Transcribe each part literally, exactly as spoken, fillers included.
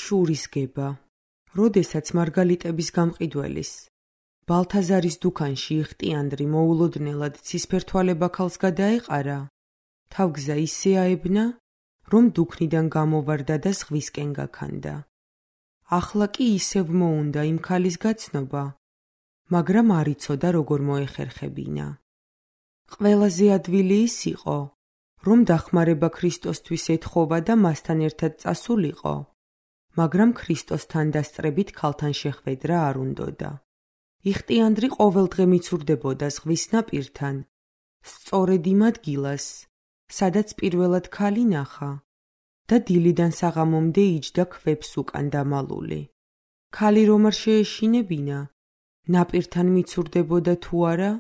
შურისგება. როდესაც მარგალიტების გამყიდველის ბალთაზარის დუქანში იხტიანდრი მოულოდნელად ცისფერ თვალებაქალს გადაეყარა, თავგზა ისე აებნა, რომ დუქნიდან გამოვარდა და ზღვისკენ გაქანდა. ახლა კი ისევ მოუნდა იმ ქალის გაცნობა, მაგრამ არ იცოდა როგორ მოეხერხებინა. ყველაზე ადვილი ის იყო, რომ დახმარება ქრისტოსთვის ეთხოვა და მასთან ერთად წასულიყო, მაგრამ ქრისტოსთან დასწრებით ქალთან შეხვედრა არ უნდოდა. იხტიანდრი ყოველდღე მიცურდებოდა ზღვის ნაპირთან, სწორედ იმ ადგილას, სადაც პირველად ქალი ნახა და დილიდან საღამომდე იჯდა ქვებს უკან დამალული. ქალი რომ არ შეეშინებინა, ნაპირთან მიცურდებოდა თუ არა,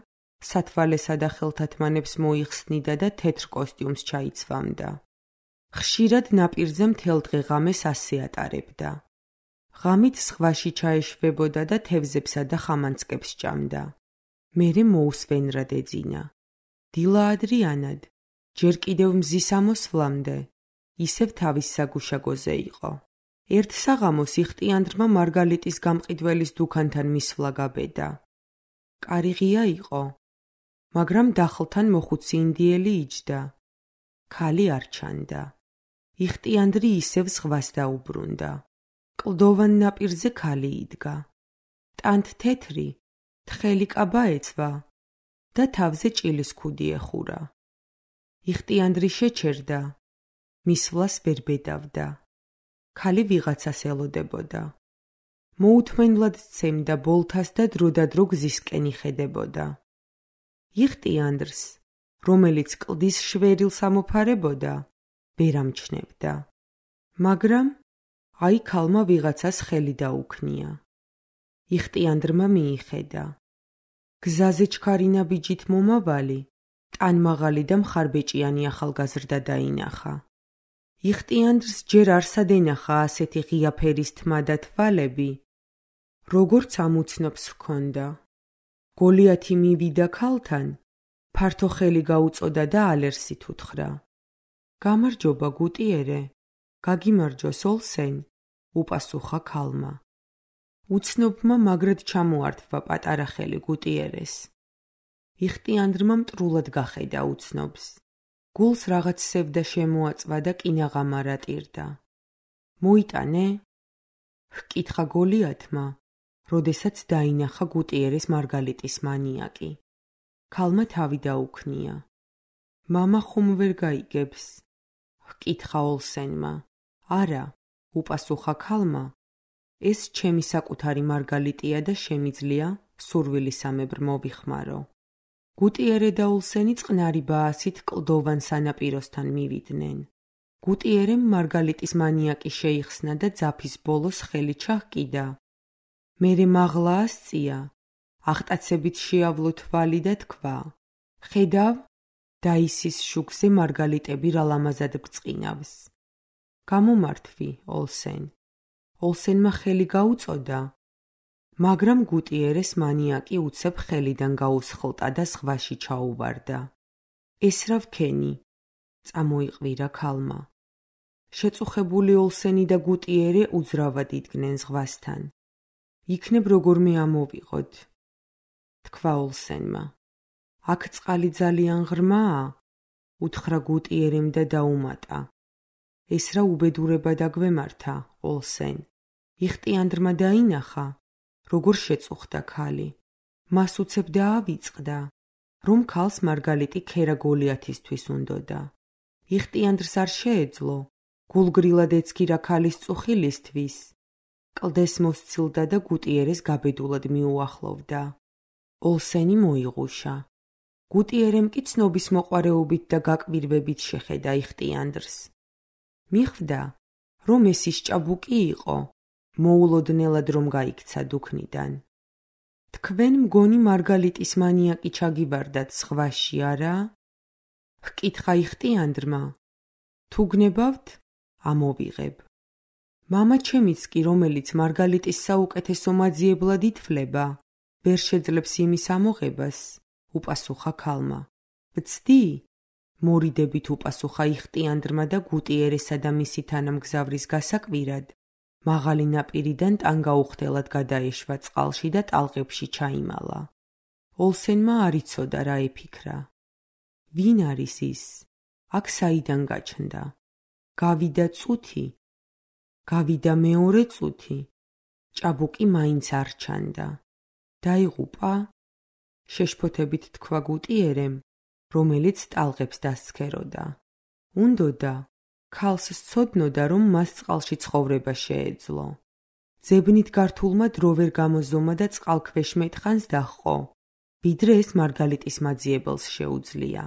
სათვალესა და ხელთათმანებს მოიხსნიდა და თეთრ კოსტიუმს ჩაიცვამდა. ხშირად ნაპირზე მთელ დღე ღამეს ასე ატარებდა. ღამით ზღვაში ჩაეშვებოდა და თევზებსა და ხამანწკებს ჭამდა. მერე მოუსვენრად ეძინა. დილა ადრიანად, ჯერ კიდევ მზის ამოსვლამდე, ისევ თავის საგუშაგოზე იყო. ერთ საღამოს იხტიანდრმა მარგალიტის გამყიდველის დუქანთან მისვლა გაბედა. კარი ღია იყო, მაგრამ დახლთან მოხუცი ინდიელი იჯდა. ქალი არ ჩანდა. იხტიანდრი ისევ ზღვას დაუბრუნდა. კლდოვან ნაპირზე ქალი იდგა. ტანთ თეთრი, თხელი კაბა ეცვა და თავზე ჭილის ქუდი ეხურა. იხტიანდრი შეჩერდა, მისვლას ვერ ბედავდა. ქალი ვიღაცას ელოდებოდა. მოუთმენლად სცემდა ბოლთას და დროდადრო გზისკენ იხედებოდა. იხტიანდრს, რომელიც კლდის შვერილს ამოფარებოდა, ვერ ამჩნევდა. მაგრამ აი ქალმა ვიღაცას ხელი დაუქნია. იხტიანდრმა მიიხედა. გზაზე ჩქარინა ბიჯით მომავალი, ტანმაღალი და მხარბეჭიანი ახალგაზრდა დაინახა. იხტიანდრს ჯერ არსად ენახა ასეთი ღია ფერის თმა და თვალები, როგორც ამუცნობს ჰქონდა. გოლიათი მივიდა ქალთან, ფართო ხელი გაუწოდა და ალერსით უთხრა. გამარჯობა გუტიერე, გაგიმარჯოს ოლსენ, უპასუხა ქალმა. უცნობმა მაგრად ჩამოართვა პატარა ხელი გუტიერეს. იხტიანდრმა მტრულად გახედა უცნობს. გულს რაღაც სევდა შემოაწვა და კინაღამარა ტირდა. მოიტანე? ჰკითხა გოლიათმა, როდესაც დაინახა გუტიერეს მარგალიტის მანიაკი. ქალმა თავი დაუქნია. მამა ხომ ვერ გაიგებს? ჰკითხა ოლსენმა. არა, უპასუხა ქალმა. ეს ჩემი საკუთარი მარგალიტია და შემიძლია სურვილისამებრ მოვიხმარო. გუტიერე და ოლსენი წყნარი ბაასით კლდოვან სანაპიროსთან მივიდნენ. გუტიერემ მარგალიტის მანიაკი შეიხსნა და ძაფის ბოლოს ხელი ჩაჰკიდა. მერე მაღლა ასწია, აღტაცებით შეავლო თვალი და თქვა. ხედავ, დაისის შუქზე მარგალიტები რა ლამაზად ბრწყინავს. გამომართვი, ოლსენ. ოლსენმა ხელი გაუწოდა, მაგრამ გუტიერეს მანიაკი უცებ ხელიდან გაუსხლტა და ზღვაში ჩაუვარდა. ეს რა ვქენი? წამოიყვირა ქალმა. შეწუხებული ოლსენი და გუტიერე უძრავად იდგნენ ზღვასთან. იქნებ როგორმე ამოვიღოთ, თქვა ოლსენმა. აქ წყალი ძალიან ღრმაა, უთხრა გუტიერემ და დაუმატა. ეს რა უბედურება დაგვემართა, ოლსენ. იხტიანდრმა დაინახა, როგორ შეწუხდა ქალი. მას უცებ დაავიწყდა, რომ ქალს მარგალიტი ქერა გოლიათისთვის უნდოდა. იხტიანდრს არ შეეძლო, გულგრილად ეცქირა ქალის წუხილისთვის. კლდეს მოსცილდა და გუტიერეს გაბედულად მიუახლოვდა. ოლსენი მოიღუშა. გუტიერემ კი ცნობის მოყვარეობით და გაკვირვებით შეხედა იხტიანდრს. მიხვდა, რომ ეს ის ჭაბუკი იყო, მოულოდნელად რომ გაიქცა დუქნიდან. თქვენ მგონი მარგალიტის მანიაკი ჩაგივარდათ ზღვაში, არა? ჰკითხა იხტიანდრმა. თუ გნებავთ, ამოვიღებ. მამა ჩემიც კი, რომელიც მარგალიტის საუკეთესო მაძიებლად ითვლება, ვერ შეძლებს იმის ამოღებას, უპასუხა ქალმა. ვცდი? მორიდებით უპასუხა იხტიანდრმა და გუტიერესა და მისი თანამგზავრის გასაკვირად, მაღალი ნაპირიდან ტანგა უხდელად გადაეშვა წყალში და ტალღებში ჩაიმალა. ოლსენმა არ იცოდა რა ეფიქრა. ვინ არის ის? აქ საიდან გაჩნდა? გავიდა წუთი? გავიდა მეორე წუთი? ჭაბუკი მაინც არ ჩანდა. დაიღუპა? შეშფოთებით თქვა გუტიერემ, რომელიც ტალღებს დასცქეროდა. უნდოდა, ქალს სცოდნოდა, რომ მას წყალში ცხოვრება შეეძლო. ძებნით გართულმა დრო ვერ გამოზომა და წყალქვეშ მეტხანს დაჰყო, ვიდრე ეს მარგალიტის მაძიებელს შეუძლია.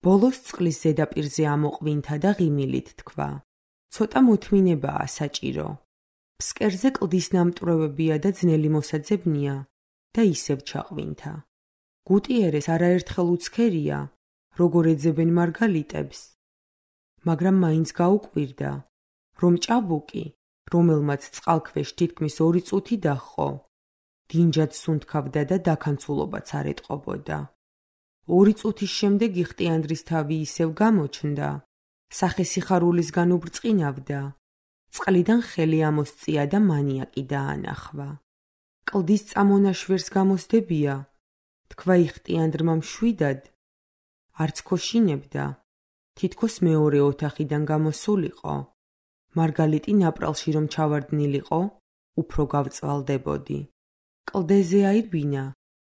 ბოლოს წყლის ზედაპირზე ამოყვინთა და ღიმილით თქვა. ცოტა მოთმინებაა საჭირო. ფსკერზე კლდის ნამტვრევებია და ძნელი მოსაძებნია და ისევ ჩაყვინთა. გუტიერეს არაერთხელ უცქერია, როგორ ეძებენ მარგალიტებს, მაგრამ მაინც გაუკვირდა, რომ ჭაბუკი, რომელმაც წყალქვეშ თითქმის ორი წუთი დაჰყო, დინჯად სუნთქავდა და დაქანცულობაც არ ეტყობოდა. ორი წუთის შემდეგ იხტიანდრის თავი ისევ გამოჩნდა, სახესიხარულისგან უბრწყინავდა, წყლიდან ხელი ამოსწია და მანიაკი დაანახვა. კლდის წამონაშვერს გამოსდებია, თქვა იხტიანდრმა მშვიდად, არც ქოშინებდა, თითქოს მეორე ოთახიდან გამოსულიყო. მარგალიტი ნაპრალში რომ ჩავარდნილიყო, უფრო გავწვალდებოდი. კლდეზე აირბინა,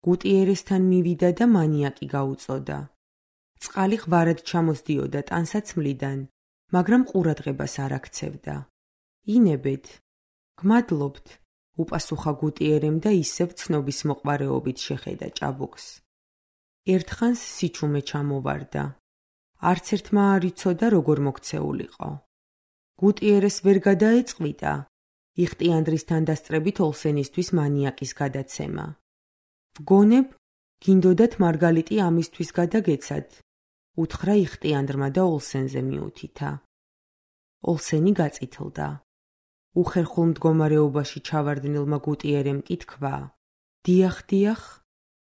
გუტიერესთან მივიდა და მანიაკი გაუწოდა. წყალი ღვარად ჩამოსდიოდა ტანსაცმლიდან, მაგრამ ყურადღებას არ აქცევდა. ინებეთ, გმადლობთ, უპასუხა გუტიერემ და ისევ ცნობის მოყვარეობით შეხედა ჭაბუკს. ერთხანს სიჩუმე ჩამოვარდა. არც ერთმა არ იცოდა, როგორ მოქცეულიყო. გუტიერეს ვერ გადაეწყვიტა, იხტიანდრისთან დასწრებით ოლსენისთვის მანიაკის გადაცემა. ვგონებ, გინდოდათ მარგალიტი ამისთვის გადაგეცად, უთხრა იხტიანდრმა და ოლსენზე მიუთითა. ოლსენი გაწითლდა. უხერხულ მდგომარეობაში ჩავარდნილმა გუტიერემ კი თქვა, დიახ, დიახ,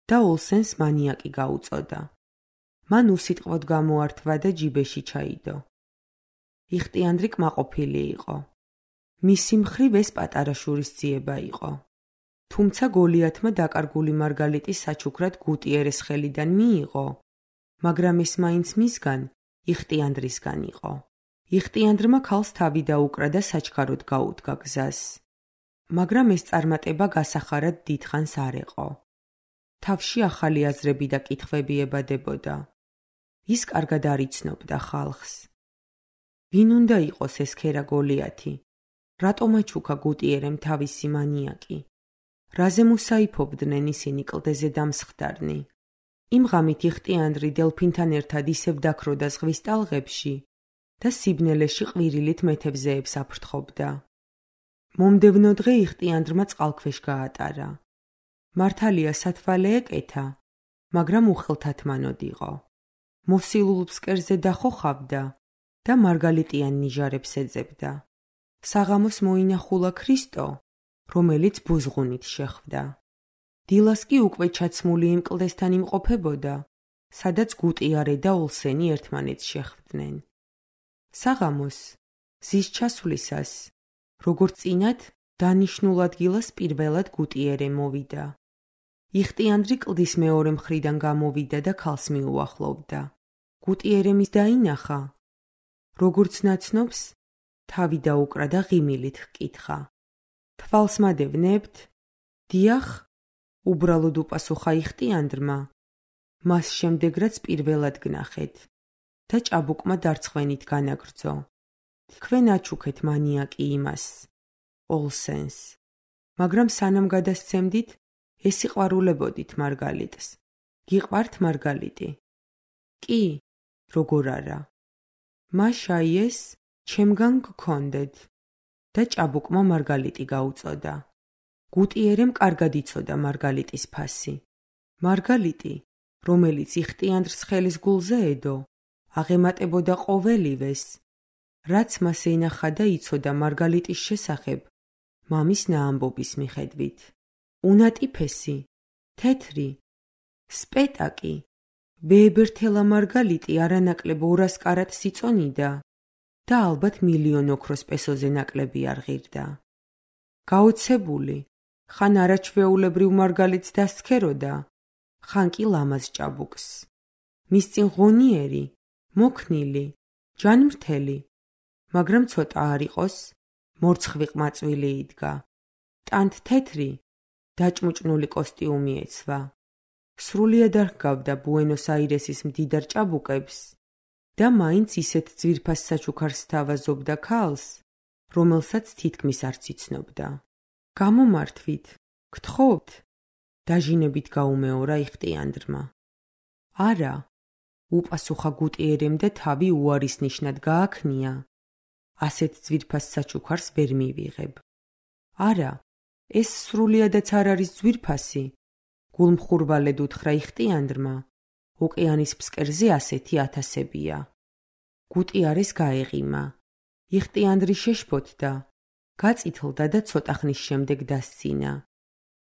და ოლსენს მანიაკი გაუწოდა. მან უსიტყვოდ გამოართვა და ჯიბეში ჩაიდო. იხტიანდრი კმაყოფილი იყო. მისი მხრივ ეს პატარა შურისძიება იყო. თუმცა გოლიათმა დაკარგული მარგალიტი საჩუქრად გუტიერეს ხელიდან მიიღო, მაგრამ ეს მაინც მისგან, იხტიანდრისგან იყო. იხტიანდრმა ქალს თავი დაუკრა და საჩქაროდ გაუდგა გზას. მაგრამ ეს წარმატება გასახარად დიდხანს არ ეყო. თავში ახალი აზრები და კითხვები ებადებოდა. ის კარგად არ იცნობდა ხალხს. ვინ უნდა იყოს ეს ქერა გოლიათი? რატომ აჩუქა გუტიერემ თავისი მანიაკი? რაზე მუსაიფობდნენ ისინი კლდეზე დამსხდარნი? იმ ღამით იხტიანდრი დელფინთან ერთად ისევ დაქროდა ზღვის ტალღებში და სიბნელეში ყვირილით მეთევზეებს აფრთხობდა. მომდევნო დღე იხტიანდრმა წყალქვეშ გაატარა. მართალია სათვალე ეკეთა, მაგრამ უხელთათმანოდ იყო. მოსილულ ფსკერზე დახოხავდა და მარგალიტიან ნიჟარებს ეძებდა. საღამოს მოინახულა ქრისტო, რომელიც ბუზღუნით შეხვდა. დილას კი უკვე ჩაცმული იმ კლდესთან იმყოფებოდა, სადაც გუტიარე და ოლსენი ერთმანეთს შეხვდნენ. საღამოს, ზის ჩასვლისას, როგორც წინათ, დანიშნულ ადგილას პირველად გუტიერე მოვიდა. იხტიანდრი კლდის მეორე მხრიდან გამოვიდა და ქალს მიუახლოვდა. გუტიერემის დაინახა. როგორც ნაცნობს, თავი დაუკრა და ღიმილით ჰკითხა. თვალს მადევნებთ? დიახ, უბრალოდ უპასუხა იხტიანდრმა. მას შემდეგ რაც პირველად გნახეთ და ჭაბუკმა დარცხვენით განაგრძო. თქვენ აჩუქეთ მანიაკი იმას, ოლსენს, მაგრამ სანამ გადასცემდით, ესიყვარულებოდით მარგალიტს. გიყვართ მარგალიტი? კი, როგორ არა. მაშაიეს ჩემგან გქონდეთ და ჭაბუკმა მარგალიტი გაუწოდა. გუტიერემ კარგად იცოდა მარგალიტის ფასი. მარგალიტი, რომელიც იხტიანდრს ხელის გულზე ედო, აღემატებოდა ყოველივეს, რაც მას ენახა და იცოდა მარგალიტის შესახებ, მამის ნაამბობის მიხედვით. უნატიფესი, თეთრი, სპეტაკი, ვეებერთელა მარგალიტი არანაკლებ ორას კარატს იწონიდა და ალბათ მილიონ ოქროს პესოზე ნაკლები არ ღირდა. გაოცებული, ხან არაჩვეულებრივ მარგალიტს დასცქეროდა, ხან კი ლამაზ ჭაბუკს. მის წინ ღონიერი, მოქნილი, ჯანმრთელი, მაგრამ ცოტა არ იყოს, მორცხვი ყმაწვილი იდგა. ტანთ თეთრი, დაჭმუჭნული კოსტიუმი ეცვა. სრულიად არ ჰგავდა ბუენოს-აირესის მდიდარ ჭაბუკებს და მაინც ისეთ ძვირფას საჩუქარს სთავაზობდა ქალს, რომელსაც თითქმის არც იცნობდა. გამომართვით, გთხოვთ, დაჟინებით გაუმეორა იხტიანდრმა. არა, უპასუხა გუტიერემ და თავი უარის ნიშნად გააქნია. ასეთ ძვირფას საჩუქარს ვერ მივიღებ. არა, ეს სრულიადაც არ არის ძვირფასი. გულმხურვალედ უთხრა იხტიანდრმა, ოკეანის ფსკერზე ასეთი ათასებია. გუტიარეს გაეღიმა. იხტიანდრი შეშფოთდა, გაწითლდა და ცოტა ხნის შემდეგ დასცინა.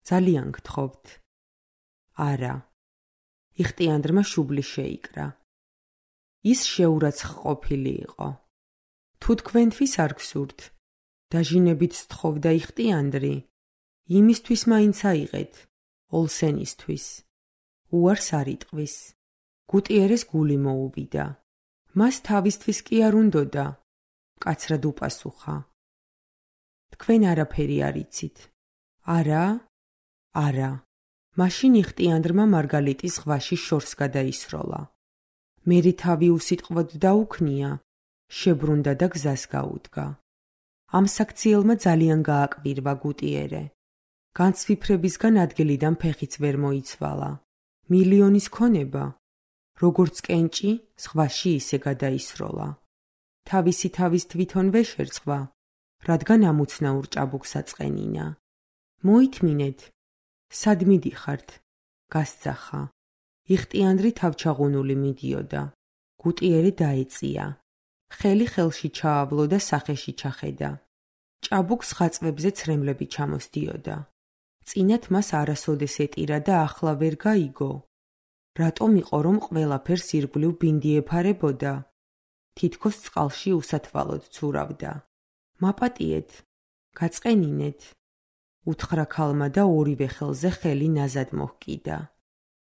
ძალიან გთხოვთ. არა. იხტიანდრმა შუბლი შეიკრა. ის შეურაცხყოფილი იყო. თუ თქვენთვის არ გსურთ, დაჟინებით სთხოვდა იხტიანდრი, იმისთვის მაინც აიღეთ, ოლსენისთვის. უარს არ იტყვის. გუტიერეს გული მოუვიდა. მას თავისთვის კი არ უნდოდა, მკაცრად უპასუხა. თქვენ არაფერი არ იცით. არა? არა. მაშინ იხტიანდრმა მარგალიტის ზღვაში შორს გადაისროლა. მერე თავი უსიტყვოდ დაუქნია, შებრუნდა და გზას გაუდგა. ამ საქციელმა ძალიან გააკვირვა გუტიერე. განცვიფრებისგან ადგილიდან ფეხიც ვერ მოიცვალა. მილიონის ქონება, როგორც კენჭი, ზღვაში ისე გადაისროლა. თავისი თავის თვითონვე შერწყვა, რადგან ამუცნაურ ჭაბუკს აწყენინა. მოითმინეთ, სად მიდიხართ? გასძახა. იხტიანდრი თავჩაღუნული მიდიოდა. გუტიერე დაეწია. ხელი ხელში ჩაავლო და სახეში ჩახედა. ჭაბუკს ხაწვებზე ცრემლები ჩამოსდიოდა. წინათ მას არასოდეს ეტირა და ახლა ვერ გაიგო. რატომ იყო, რომ ყველაფერს ირგვლივ ბინდი ეფარებოდა? თითქოს წყალში უსათვალოდ ცურავდა. მაპატიეთ, გაწყენინეთ. უთხრა ქალმა და ორივე ხელზე ხელი ნაზად მოჰკიდა.